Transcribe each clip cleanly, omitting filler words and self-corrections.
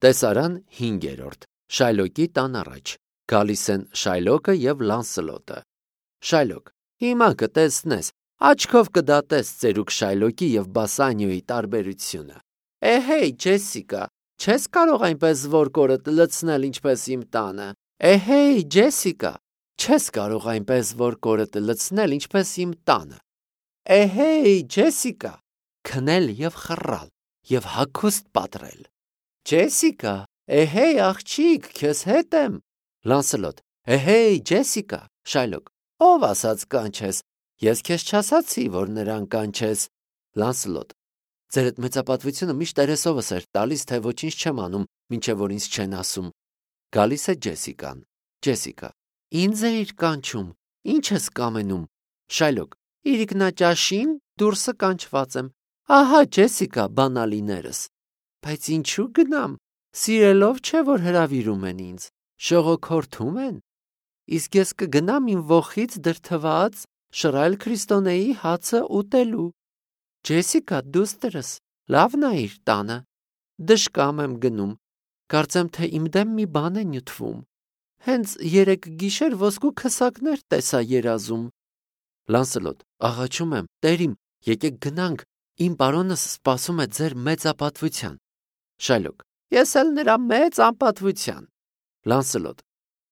Տեսարան 5. Շայլոկի տան առաջ։ Գալիս են Շայլոկը և Լանսելոտը։ Շայլոկ. Հիմա կտեսնես, աչքով կդատես ծերուկ Շայլոկի և Բասանիոյի տարբերությունը։ Էհեյ, Ջեսիկա, չես կարող այնպես որկորդ լցնել ինչպես իմ տանը։ Էհեյ, Ջեսիկա, չես կարող այնպես որկորդ լցնել ինչպես իմ տանը։ Էհեյ, Ջեսիկա, քնել և խռալ և հագուստ պատռել։ Ջեսիկա, էհեյ, աղջիկ, քեզ հետ եմ։ Լանսելոտ. Էհեյ, Ջեսիկա։ Շայլոկ. Ով ասաց կանչես։ Ես քեզ չասացի, որ նրան կանչես։ Լանսելոտ. Ձեր այդ մեծապատվությունը միշտ երեսովս էր տալիս, թե ոչինչ չեմ անում, մինչև որ ինձ չեն ասում։ Գալիս է Ջեսիկան։ Ջեսիկա. Ինձ էիր կանչում, ինչ ես կամենում։ Շայլոկ. Իրիկնաճաշին դուրսը կանչված եմ։ Ահա, Ջեսիկա, բանալիներս։ Բայց ինչու գնամ։ Սիրելով չէ, որ հրավիրում են ինձ, շողոքորթում են։ Իսկ ես կգնամ իմ ոխից դրդված շռայլ քրիստոնեի հացը ուտելու։ Ջեսիկա, դուստրս, լավ նայիր տանը։ Դժկամ եմ գնում։ Կարծեմ, թե իմ դեմ մի բան է նյութվում։ Հենց երեկ գիշեր ոսկու քսակներ տեսա երազում։ Լանսելոտ. Աղաչում եմ, տերիմ, եկեք գնանք, իմ պարոնս սպասում է ձեր մեծապատվության։ Շայլոկ. Ես էլ նրա մեծ անպատվության։ Լանսելոտ.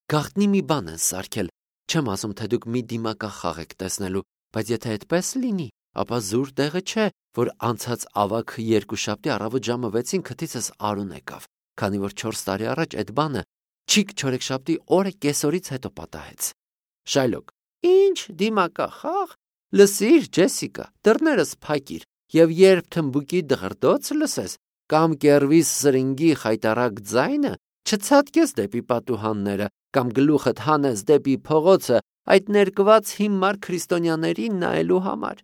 Գաղտնի մի բան են սարքել, չեմ ասում, թե դուք մի դիմակախաղ եք տեսնելու, բայց եթե այդպես լինի, ապա զուր տեղը չէ, որ անցած ավագ երկուշաբթի առավոտ ժամը 6-ին քթիցս Արուն եկավ, քանի որ 4 տարի առաջ այդ բանը չիկ չորեքշաբթի օրը կեսօրից հետո պատահեց։ Շայլոկ. Ինչ դիմակախաղ։ Լսիր, Ջեսիկա, դռներս փակիր, եւ երբ թմբուկի դղրդոց լսես կամ կերվի սրինգի խայտարակ ձայնը, չցածկես դեպի պատուհանները կամ գլուխդ հանես դեպի փողոցը այդ ներկված հիմար քրիստոնյաներին նայելու համար,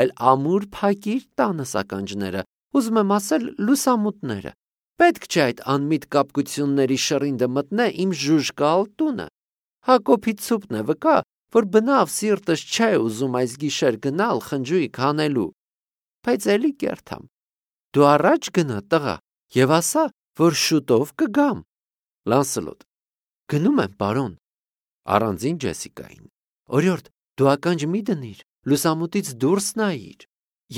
այլ ամուր փակիր տանս ականջները, ուզում եմ ասել լուսամուտները։ Պետք չէ այդ անմիտ կապկությունների շռինդը մտնե իմ ժուժկալ տունը։ Հակոբի ցուպն է վկա, որ բնավ սիրտս չէ ուզում այս գիշեր գնալ խնջույք անելու։ Բայց էլի կերթամ։ Դու առաջ գնա, տղա, եւ ասա, որ շուտով կգամ։ Լանսելոտ. Գնում եմ, պարոն։ Առանձին Ջեսիկային. Օրիորդ, դու ականջ մի դնիր, լուսամուտից դուրս նայիր,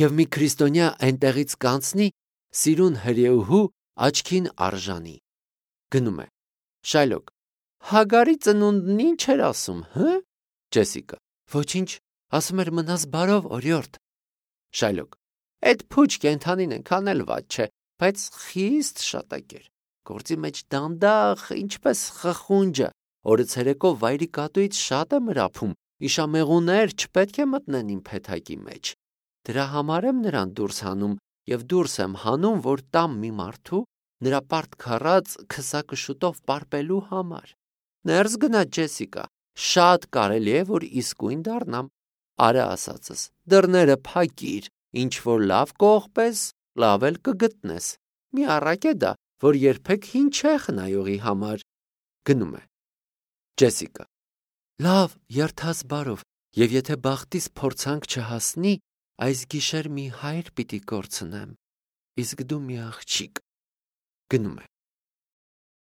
եւ մի քրիստոնյա այնտեղից կանցնի, սիրուն հրեուհու աչքին արժանի։ Գնում է։ Շայլոկ. Հագարի ծնունդն ինչ էր ասում, հը։ Ջեսիկա. Ոչինչ, ասում էր մնաս բարով, օրիորդ։ Շայլոկ. Այդ փուչ կենթանին են քանել ված չէ, բայց խիստ շատակեր։ Գործի մեջ դանդաղ, ինչպես խխունջը, օրը ցերեկո վայրի կատուից շատ է մրափում, իշամեղուներ չպետք է մտնեն իմ փեթակի մեջ։ Դրա համար եմ նրան դուրս հանում եւ դուրս եմ հանում, որ տամ մի մարդու նրա պարտ քառած քսակը շուտով պարպելու համար։ Ներս գնա, Ջեսիկա, շատ կարելի է, որ իսկույն դառնամ։ Արա ասածս, դռները փակիր, ինչ որ լավ կողպես, լավ էլ կգտնես։ Մի առակ է դա, որ երբեք հին չէ խնայողի համար։ Գնում է։ Ջեսիկա. Լավ, երթաս բարով, եւ եթե բախտիս փորձանք չհասնի, այս գիշեր մի հայր պիտի կորցնեմ, իսկ դու մի աղջիկ։ Գնում է։